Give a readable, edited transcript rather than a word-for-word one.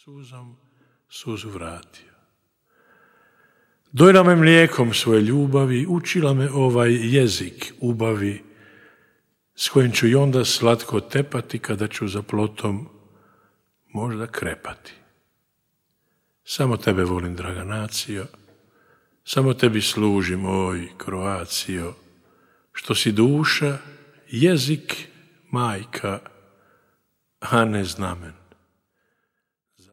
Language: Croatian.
suzom suzu vratio. Dojila me mlijekom svoje ljubavi, učila me ovaj jezik ubavi, s kojim ću i onda slatko tepati kada ću za plotom možda krepati. Samo tebe volim, draga nacio, samo tebi služim, oj, Kroacijo, što si duša, jezik, majka, a ne znamen.